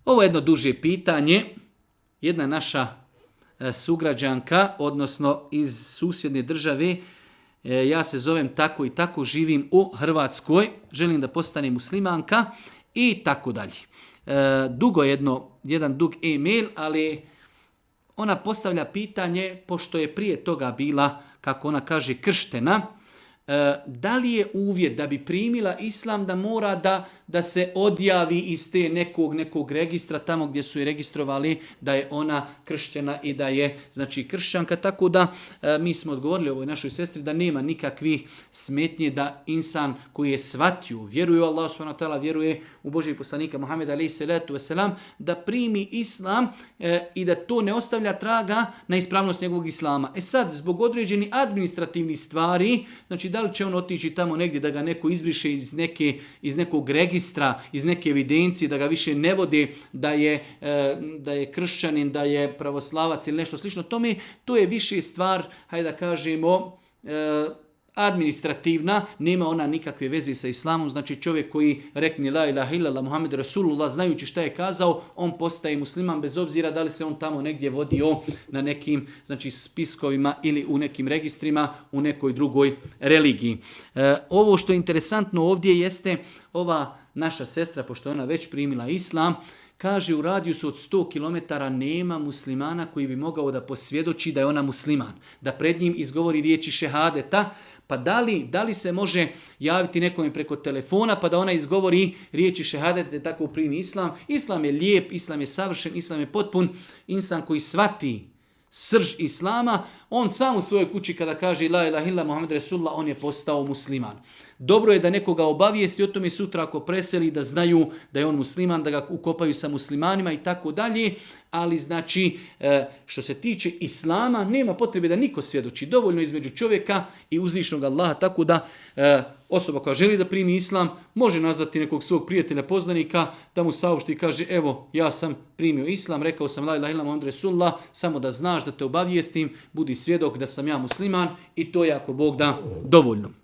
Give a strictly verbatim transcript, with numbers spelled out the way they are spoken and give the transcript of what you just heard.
Ovo je jedno duže pitanje. Jedna naša sugrađanka, odnosno iz susjedne države, ja se zovem tako i tako, živim u Hrvatskoj, želim da postanem muslimanka i tako dalje. Dugo jedno, jedan dug e-mail, ali ona postavlja pitanje, pošto je prije toga bila, kako ona kaže, krštena, da li je uvjet da bi primila islam da mora da, da se odjavi iz te nekog, nekog registra tamo gdje su je registrovali da je ona krštena i da je znači kršćanka. Tako da mi smo odgovorili ovoj našoj sestri da nema nikakvih smetnje da insan koji je shvatio, vjeruje u Allah subhanahu wa ta'ala, vjeruje u Božijeg poslanika Muhameda alejhi salatu vesselam, da primi islam e, i da to ne ostavlja traga na ispravnost njegovog islama. E sad, zbog određenih administrativnih stvari, znači da li će on otići tamo negdje da ga neko izbriše iz, neke, iz nekog registra, iz neke evidencije, da ga više ne vode da je, e, da je kršćanin, da je pravoslavac ili nešto slično tome, to je više stvar, hajde da kažemo, e, administrativna, nema ona nikakve veze sa islamom, znači čovjek koji rekne la ilaha illallah Muhammed Rasulullah, znajući šta je kazao, on postaje musliman bez obzira da li se on tamo negdje vodio na nekim znači, spiskovima ili u nekim registrima u nekoj drugoj religiji. E, ovo što je interesantno ovdje jeste ova naša sestra, pošto ona već primila islam, kaže u radijusu od sto kilometara nema muslimana koji bi mogao da posvjedoči da je ona musliman, da pred njim izgovori riječi šehadeta. Pa da li, da li se može javiti nekome preko telefona pa da ona izgovori riječi šehadete tako primi islam? Islam je lijep, islam je savršen, islam je potpun. Insan koji shvati srž islama, on sam u svojoj kući kada kaže la ilaha illa Muhammed Rasulullah, on je postao musliman. Dobro je da nekoga obavijesti o tome sutra ako preseli, da znaju da je on musliman, da ga ukopaju sa muslimanima i tako dalje. Ali znači što se tiče islama nema potrebe da niko svjedoči. Dovoljno između čovjeka i uzvišnog Allaha, tako da osoba koja želi da primi islam može nazvati nekog svog prijatelja, poznanika, da mu saopšti i kaže evo ja sam primio islam, rekao sam la ilaha illa Muhammed Rasulullah, samo da znaš da te obavijestim, budi svjedok da sam ja musliman i to je ako Bog da dovoljno.